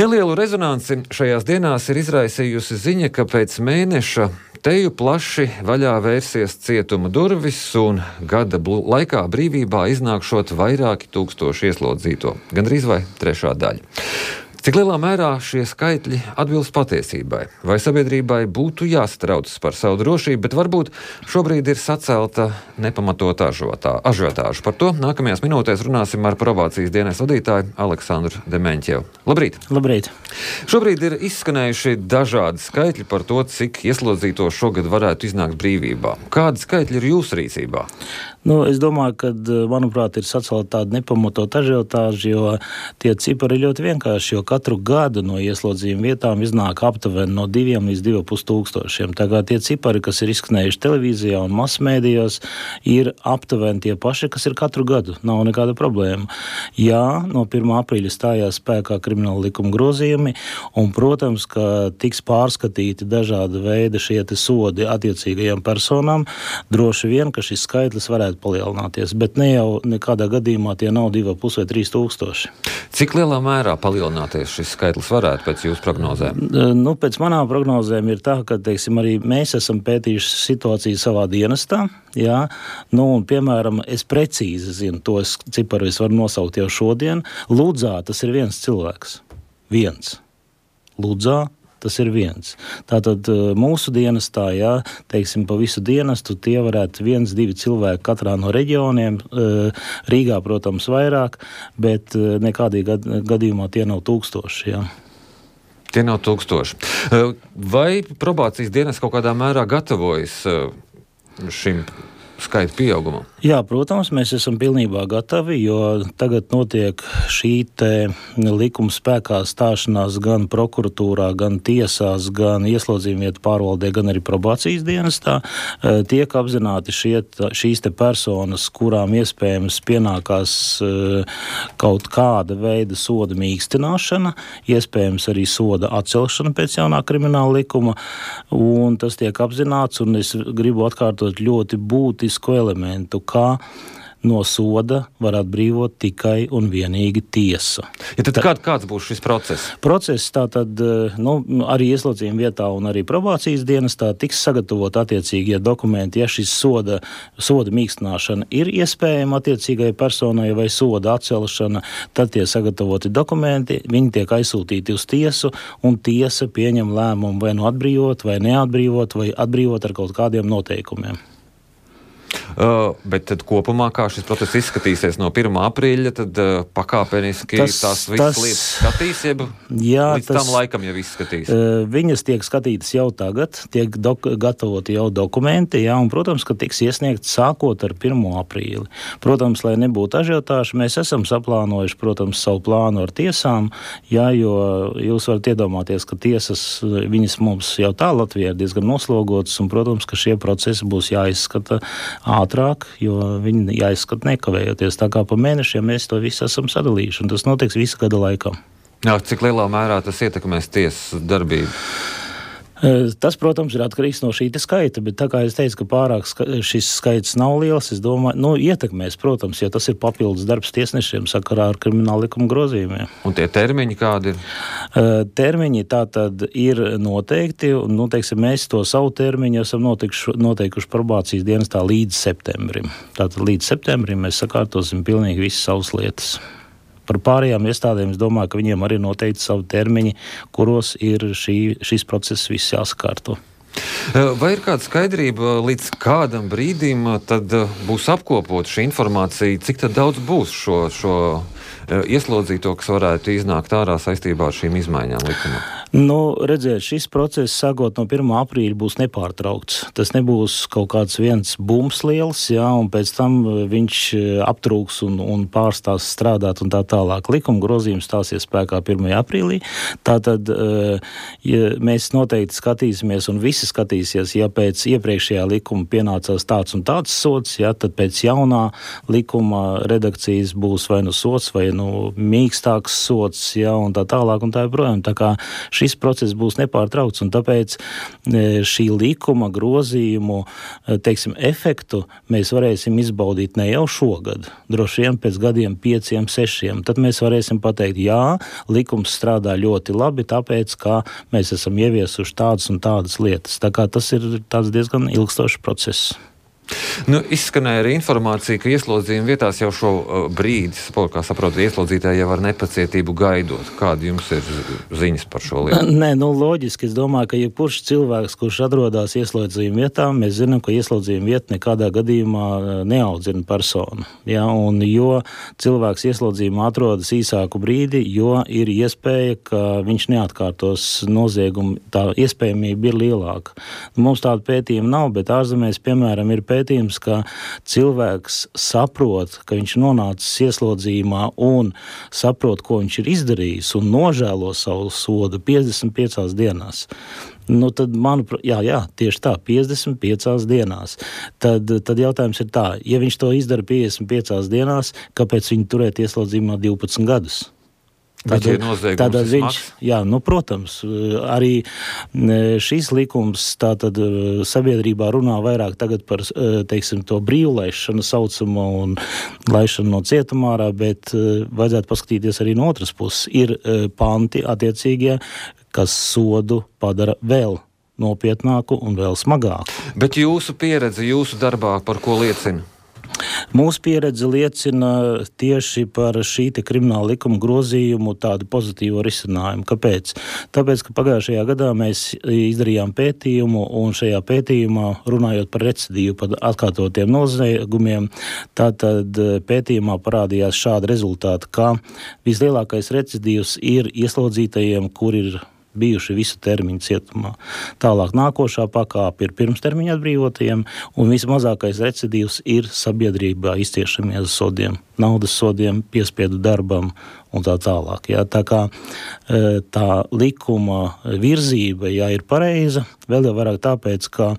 Nelielu rezonanci šajās dienās ir izraisījusi ziņa, ka pēc mēneša teju plaši vaļā vērsies cietuma durvis un gada laikā brīvībā iznākšot vairāki tūkstoši ieslodzīto, gandrīz vai trešā daļa. Cik lielā mērā šie skaitļi atbilst patiesībai? Vai sabiedrībai būtu jāsatraucas par savu drošību, bet varbūt šobrīd ir sacelta nepamatota ažiotāža? Par to nākamajās minūtēs runāsim ar probācijas dienas vadītāju Aleksandru Demeņķevu. Labrīt! Labrīt! Šobrīd ir izskanējuši dažādi skaitļi par to, cik ieslodzīto šogad varētu iznākt brīvībā. Kādi skaitļi ir jūsu rīcībā? Es domāju, ka, manuprāt, ir sacelta tāda nepamatota ažiotāža, jo tie cipari ir ļoti vienkārši, jo katru gadu no ieslodzījuma vietām iznāk aptuveni no 2 līdz 2,5 tūkstošiem. Tā kā tie cipari, kas ir izskanējuši televīzijā un masmēdijos, ir aptuveni tie paši, kas ir katru gadu. Nav nekāda problēma. Jā, no 1. aprīļa stājās spēkā krimināla likuma grozījumi, un, protams, ka tiks pārskatīti dažāda veida šie sodi attiecīgajām personām. Droši vien, ka šis skaitlis varētu palielināties, bet ne jau nekādā gadījumā tie nav 2,5 vai 3 tūkstoši. Cik lielā mērā palielināties šis skaitlis varētu pēc jūsu prognozēm? Pēc manām prognozēm ir tā, ka, arī mēs esam pētījuši situāciju savā dienestā, jā, un, piemēram, es precīzi zinu, to ciparu es varu nosaukt jau šodien. Ludzā tas ir viens cilvēks. Ludzā tas ir viens. Tātad mūsu dienestā, pa visu dienestu tie varētu 1-2 cilvēki katrā no reģioniem. Rīgā, protams, vairāk, bet nekādī gadījumā tie nav tūkstoši, jā. Tie nav tūkstoši. Vai probācijas dienas kaut kādā mērā gatavojas šim skaita pieaugumam? Jā, protams, mēs esam pilnībā gatavi, jo tagad notiek šī likuma spēkā stāšanās gan prokuratūrā, gan tiesās, gan ieslodzījuma vietu pārvaldē, gan arī probācijas dienestā. Tiek apzināti šīs personas, kurām iespējams pienākās kaut kāda veida soda mīkstināšana, iespējams arī soda atcelšana pēc jaunā krimināla likuma, un tas tiek apzināts, un es gribu atkārtot ļoti būtisku elementu, kā no soda var atbrīvot tikai un vienīgi tiesa. Ja tad kāds būs šis process? Process tātad, arī ieslodzījuma vietā un arī probācijas dienestā tiks sagatavot attiecīgie dokumenti, ja šis soda mīkstināšana ir iespējama attiecīgai personai vai soda atcelšana, tad tie sagatavoti dokumenti, viņi tiek aizsūtīti uz tiesu, un tiesa pieņem lēmumu vai nu atbrīvot, vai neatbrīvot, vai atbrīvot ar kaut kādiem noteikumiem. Bet tad kopumā, kā šis process izskatīsies no 1. aprīļa, tad pakāpeniski tās visas lietas skatīs, līdz tam laikam jau izskatīs? Viņas tiek skatītas jau tagad, tiek gatavoti jau dokumenti, un, protams, ka tiks iesniegts sākot ar 1. aprīli. Protams, lai nebūtu ažiotāža, mēs esam saplānojuši, protams, savu plānu ar tiesām, jo jūs varat iedomāties, ka tiesas, viņas mums jau tā Latvijā ir diezgan noslogotas, un, protams, ka šie procesi būs jāizskata ātrāk, jo viņi jāizskata nekavējoties. Tā kā pa mēnešiem mēs to visu esam sadalījuši, un tas notiks visu gada laikā. Jā, cik lielā mērā tas ietekmēs tiesas darbību? Tas, protams, ir atkarīgs no šī skaita, bet tā kā es teicu, ka pārāk šis skaits nav liels, es domāju, ietekmēs, protams, jo tas ir papildus darbs tiesnešiem sakarā ar krimināla likuma grozījumiem. Un tie termiņi kādi ir? Termiņi tātad ir noteikti, un, mēs to savu termiņu esam noteikuši probācijas dienestā līdz septembrim. Tātad līdz septembrim mēs sakārtosim pilnīgi visas savas lietas. Par pārējām iestādēm es domāju, ka viņiem arī noteikti savu termiņi, kuros ir šis process viss jāsakārto. Vai ir kāda skaidrība, līdz kādam brīdim tad būs apkopot šī informācija, cik tad daudz būs šo ieslodzīto, kas varētu iznākt ārā saistībā ar šīm izmaiņām likumā? Redziet, šis process sākot no 1. aprīļa būs nepārtraukts. Tas nebūs kaut kāds viens bums liels, un pēc tam viņš aptrūks un pārstās strādāt un tā tālāk. Likuma grozījums stāsies spēkā 1. aprīlī. Tātad mēs noteikti skatīsimies un visi skatīsies, ja pēc iepriekšējā likuma pienācās tāds un tāds sods, tad pēc jaunā likuma redakcijas būs vai nu sods vai mīkstāks sots, un tā tālāk un tā joprojām. Tā kā šis process būs nepārtraukts, un tāpēc šī likuma grozījumu, teiksim, efektu mēs varēsim izbaudīt ne jau šogad, droši vien pēc gadiem 5, 6. Tad mēs varēsim pateikt, jā, likums strādā ļoti labi, tāpēc, ka mēs esam ieviesuši tādas un tādas lietas. Tā kā tas ir tāds diezgan ilgstošs process. Izskanēja arī informācija, ka ieslodzījuma vietās jau šo brīdi, kā saprotu, ieslodzītāji jau ar nepacietību gaidot. Kāda jums ir ziņas par šo lietu? Nē, loģiski. Es domāju, ka jebkurš cilvēks, kurš atrodas ieslodzījuma vietā, mēs zinām, ka ieslodzījuma vieta nekādā gadījumā neaudzina personu. Ja? Un jo cilvēks ieslodzījumā atrodas īsāku brīdi, jo ir iespēja, ka viņš neatkārtos noziegumu, tā iespējamība ir lielāka. Mums tāda pētījuma nav, bet ārzemēs, piemēram, ir pētījums, ka cilvēks saprot, ka viņš nonācis ieslodzījumā un saprot, ko viņš ir izdarījis un nožēlo savu sodu 55 dienās. Tad, manuprāt, jā, tieši tā, 55 dienās. Tad jautājums ir tā, ja viņš to izdara 55 dienās, kāpēc viņu turēt ieslodzījummā 12 gadus? Tātad viņš, protams, arī šīs likums tātad sabiedrībā runā vairāk tagad par, teiksim, to brīvlaišanu saucamo un laišanu no cietumā ārā, bet vajadzētu paskatīties arī no otras puses. Ir panti attiecīgie, kas sodu padara vēl nopietnāku un vēl smagāku. Bet jūsu pieredze, jūsu darbā par ko liecina? Mūsu pieredze liecina tieši par šī krimināla likuma grozījumu tādu pozitīvu risinājumu. Kāpēc? Tāpēc, ka pagājušajā gadā mēs izdarījām pētījumu, un šajā pētījumā, runājot par recidīvu, par atkārtotiem noziegumiem, tātad pētījumā parādījās šādi rezultāti, ka vislielākais recidīvs ir ieslodzītajiem, kur ir bijuši visu termiņu cietumā. Tālāk nākošā pakāpe ir pirmstermiņa atbrīvotajiem, un vismazākais recidīvs ir sabiedrībā izciešamies sodiem, naudas sodiem, piespiedu darbam un tā tālāk. Jā. Tā kā tā likuma virzība, ir pareiza, vēl jau vairāk tāpēc, ka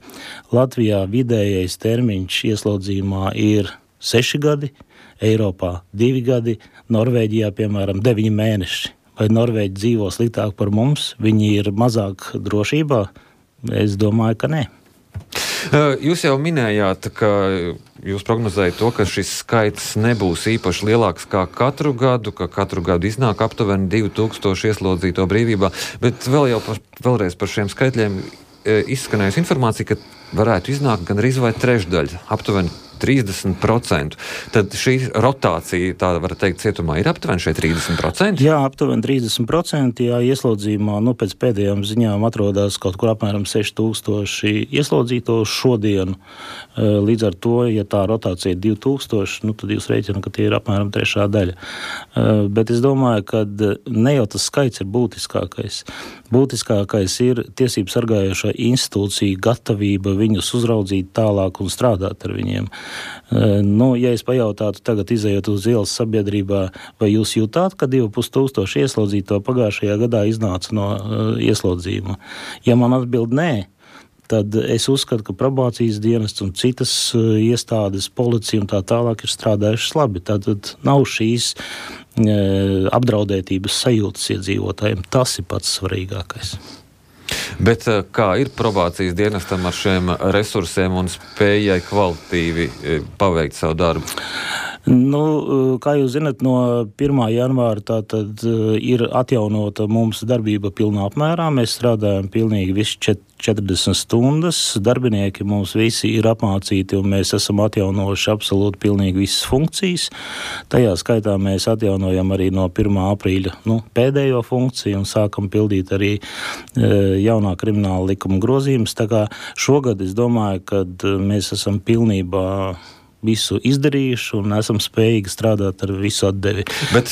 Latvijā vidējais termiņš ieslodzījumā ir 6 gadi, Eiropā 2 gadi, Norvēģijā, piemēram, 9 mēneši. Vai Norvēģi dzīvo sliktāk par mums? Viņi ir mazāk drošībā? Es domāju, ka nē. Jūs jau minējāt, ka jūs prognozējat to, ka šis skaits nebūs īpaši lielāks kā katru gadu, ka katru gadu iznāk aptuveni 2000 ieslodzīto brīvībā, bet vēlreiz par šiem skaitļiem izskanējusi informācija, ka varētu iznākt gan arī vai trešdaļa, aptuveni 30%. Tad šī rotācija, tā var teikt, cietumā ir aptuveni šeit 30%? Jā, aptuveni 30%. Jā, ieslodzījumā, pēc pēdējām ziņām atrodas kaut kur apmēram 6000 ieslodzīto šodienu. Līdz ar to, ja tā rotācija ir 2000, tad jūs rēķināt, ka tie ir apmēram 3. daļa. Bet es domāju, ka ne jau tas skaits ir būtiskākais. Būtiskākais ir tiesību sargājošā institūcija gatavība viņus uzraudzīt tālāk un strādāt ar viņiem. Ja es pajautātu tagad izējot uz ielas sabiedrībā, vai jūs jūtāt, ka 2500 ieslodzīto pagājušajā gadā iznāca no ieslodzījuma? Ja man atbild nē, tad es uzskatu, ka probācijas dienests un citas iestādes, policija un tā tālāk ir strādājušas labi. Tātad nav šīs apdraudētības sajūtas iedzīvotājiem. Tas ir pats svarīgākais. Bet kā ir probācijas dienestam ar šiem resursiem un spējai kvalitatīvi paveikt savu darbu? Kā jūs zinat, no 1. janvāra tātad ir atjaunota mums darbība pilnā apmērā. Mēs strādājam pilnīgi visu 40 stundas. Darbinieki mums visi ir apmācīti un mēs esam atjaunojuši absolūti pilnīgi visas funkcijas. Tajā skaitā mēs atjaunojam arī no 1. aprīļa pēdējo funkciju un sākam pildīt arī jaunā krimināla likuma grozījumus. Tā kā šogad es domāju, ka mēs esam pilnībā visu izdarījuši un esam spējīgi strādāt ar visu atdevi.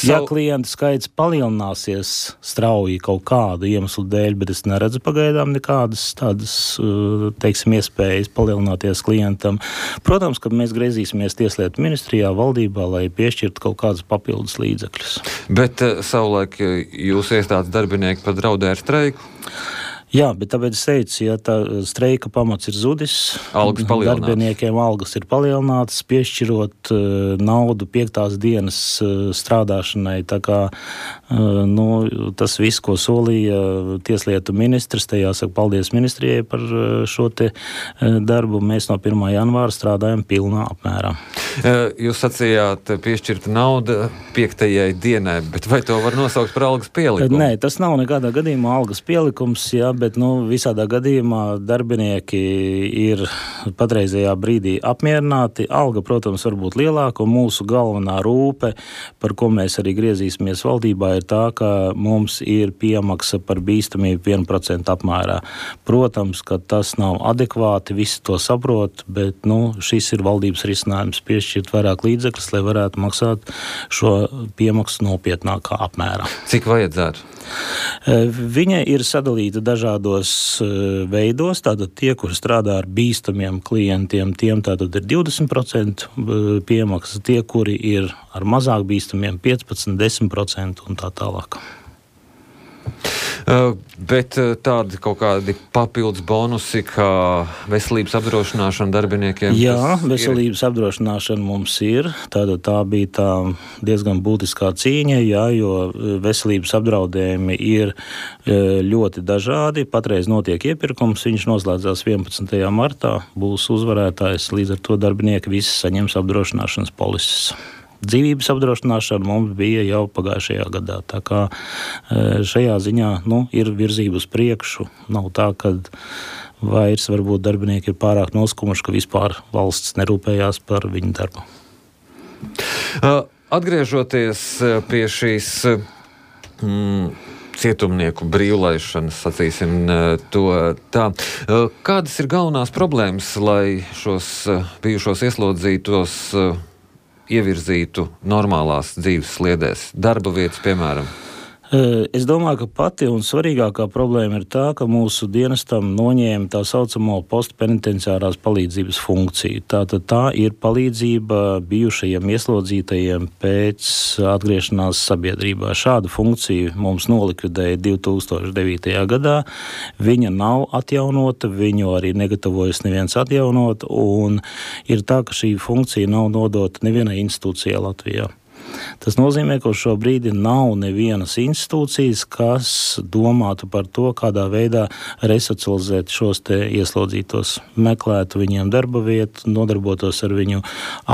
Ja klientu skaits palielināsies strauji kaut kādu iemeslu dēļ, bet es neredzu pagaidām nekādas tādas, iespējas palielināties klientam. Protams, ka mēs griezīsimies Tieslietu ministrijā, valdībā, lai piešķirtu kaut kādas papildus līdzekļus. Bet savulaik jūs iestādes darbinieki pat draudēja ar streiku? Jā, bet tāpēc es teicu, ja tā streika pamats ir zudis, darbiniekiem algas ir palielinātas, piešķirot naudu 5. dienas strādāšanai. Tā kā tas viss, ko solīja tieslietu ministrs, te jāsaka paldies ministrijai par šo te darbu, mēs no 1. janvāra strādājam pilnā apmērā. Jūs sacījāt piešķirta nauda 5. dienai, bet vai to var nosaukt par algas pielikumu? Nē, tas nav nekādā gadījumā algas pielikums, jā, bet visādā gadījumā darbinieki ir patreizajā brīdī apmierināti. Alga, protams, var būt lielāka, un mūsu galvenā rūpe, par ko mēs arī griezīsimies valdībā, ir tā, ka mums ir piemaksa par bīstamību 1% apmērā. Protams, ka tas nav adekvāti, visi to saprot, bet šis ir valdības risinājums piešķirt vairāk līdzekļus, lai varētu maksāt šo piemaksu nopietnākā apmērā. Cik vajadzētu? Viņa ir sadalīta dažādos veidos. Tātad tie, kur strādā ar bīstamiem klientiem, tiem tātad ir 20% piemaksa, tie, kuri ir ar mazāk bīstamiem 15%, 10% un tā tālāk. Bet tādi kaut kādi papildus bonusi, kā veselības apdrošināšana darbiniekiem? Jā, veselības apdrošināšana mums ir. Tā bija tā diezgan būtiskā cīņa, jā, jo veselības apdraudējumi ir ļoti dažādi. Patreiz notiek iepirkums, viņš noslēdzās 11. martā, būs uzvarētājs, līdz ar to darbinieki visi saņems apdrošināšanas polises. Dzīvības apdrošināšana mums bija jau pagājušajā gadā. Tā kā šajā ziņā ir virzība uz priekšu. Nav tā, ka vairs varbūt darbinieki ir pārāk noskumuši, ka vispār valsts nerūpējās par viņu darbu. Atgriežoties pie šīs cietumnieku brīvlaišanas, sacīsim to tā. Kādas ir galvenās problēmas, lai šos bijušos ieslodzītos ievirzītu normālās dzīves sliedēs, darba vietas, piemēram? Es domāju, ka pati un svarīgākā problēma ir tā, ka mūsu dienestam noņēma tā saucamo postpenitenciārās palīdzības funkciju. Tātad tā ir palīdzība bijušajiem ieslodzītajiem pēc atgriešanās sabiedrībā. Šādu funkciju mums nolikvidēja 2009. gadā. Viņa nav atjaunota, viņu arī negatavojas neviens atjaunot, un ir tā, ka šī funkcija nav nodota nevienai institūcijai Latvijā. Tas nozīmē, ka šo brīdi nav nevienas institūcijas, kas domātu par to, kādā veidā resocializēt šos te ieslodzītos, meklētu viņiem darba vietu, nodarbotos ar viņu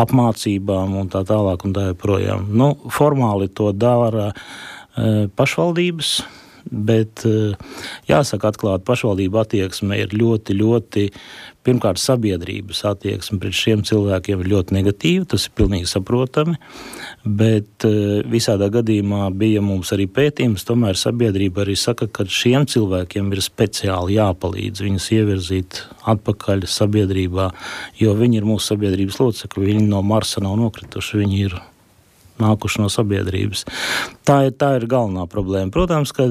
apmācībām un tā tālāk un tā joprojām. Formāli to dara pašvaldības, bet jāsaka atklāt, pašvaldība attieksme ir ļoti, ļoti, pirmkārt, sabiedrības attieksme pret šiem cilvēkiem ir ļoti negatīva, tas ir pilnīgi saprotami, bet visādā gadījumā bija mums arī pētījums, tomēr sabiedrība arī saka, ka šiem cilvēkiem ir speciāli jāpalīdz viņus ievirzīt atpakaļ sabiedrībā, jo viņi ir mūsu sabiedrības locekļi, viņi no Marsa nav nokrituši, viņi ir nākuši no sabiedrības. Tā ir galvenā problēma. Protams, ka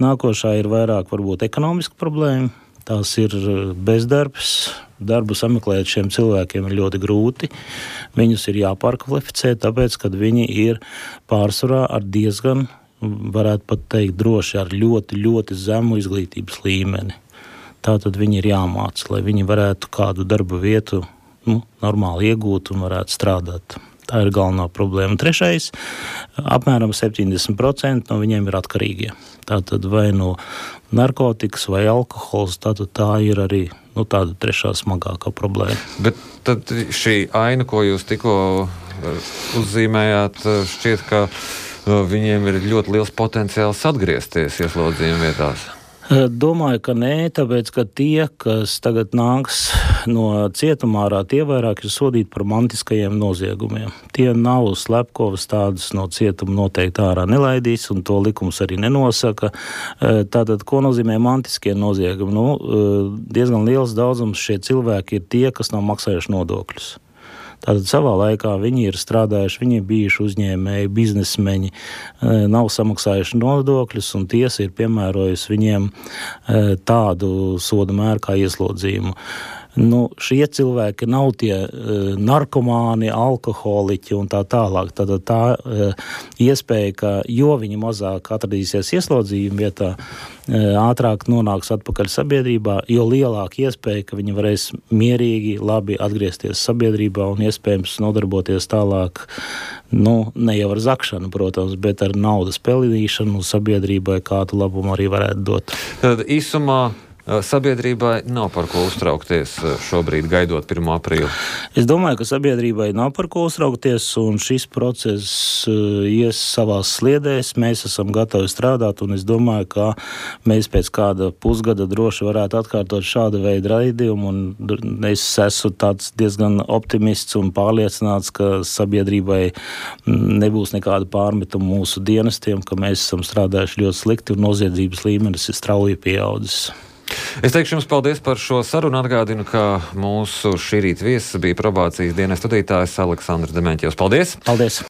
nākošā ir vairāk varbūt ekonomiska problēma. Tās ir bezdarbs. Darbu sameklēt šiem cilvēkiem ir ļoti grūti. Viņus ir jāpārkvalificē, tāpēc, kad viņi ir pārsvarā ar diezgan, varētu pat teikt, droši ar ļoti, ļoti zemu izglītības līmeni. Tātad viņi ir jāmāca, lai viņi varētu kādu darba vietu normāli iegūt un varētu strādāt. Tā ir galvenā problēma. Trešais, apmēram 70% no viņiem ir atkarīgie. Tātad vai no narkotikas vai alkohols, tātad tā ir arī tāda trešā smagākā problēma. Bet tad šī aina, ko jūs tikko uzzīmējāt, šķiet, ka viņiem ir ļoti liels potenciāls atgriezties ieslodzījuma vietās. Domāju, ka nē, tāpēc, ka tie, kas tagad nāks no cietumā ārā, tie vairāk ir sodīti par mantiskajiem noziegumiem. Tie nav slepkavas, tādas no cietuma noteikti ārā nelaidīs, un to likums arī nenosaka. Tātad, ko nozīmē mantiskie noziegumi? Diezgan liels daudzums šie cilvēki ir tie, kas nav maksājuši nodokļus. Tātad savā laikā viņi ir strādājuši, viņi ir bijuši uzņēmēji, biznesmeņi, nav samaksājuši nodokļus, un tiesa ir piemērojusi viņiem tādu soda mēru kā ieslodzījumu. Šie cilvēki nav tie narkomāni, alkoholiķi un tā tālāk. Tad tā iespēja, ka jo viņi mazāk atradīsies ieslodzījuma vietā, ātrāk nonāks atpakaļ sabiedrībā, jo lielāka iespēja, ka viņi varēs mierīgi, labi atgriezties sabiedrībā un iespējams nodarboties tālāk, ne jau ar zakšanu, protams, bet ar naudas pelnīšanu sabiedrībai, kādu labumu arī varētu dot. Tad īsumā sabiedrībai nav par ko uztraukties šobrīd, gaidot 1. aprīli? Es domāju, ka sabiedrībai nav par ko uztraukties, un šis process ies savās sliedēs. Mēs esam gatavi strādāt, un es domāju, ka mēs pēc kāda pusgada droši varētu atkārtot šādu veidu raidījumu, un es esmu tāds diezgan optimists un pārliecināts, ka sabiedrībai nebūs nekāda pārmetuma mūsu dienestiem, ka mēs esam strādājuši ļoti slikti, un noziedzības līmenis ir strauji pieaudzis. Es teikšu jums paldies par šo sarunu. Atgādinu, ka mūsu šī rīta viesis bija probācijas dienesta vadītājs Aleksandrs Demeņķevs. Paldies! Paldies!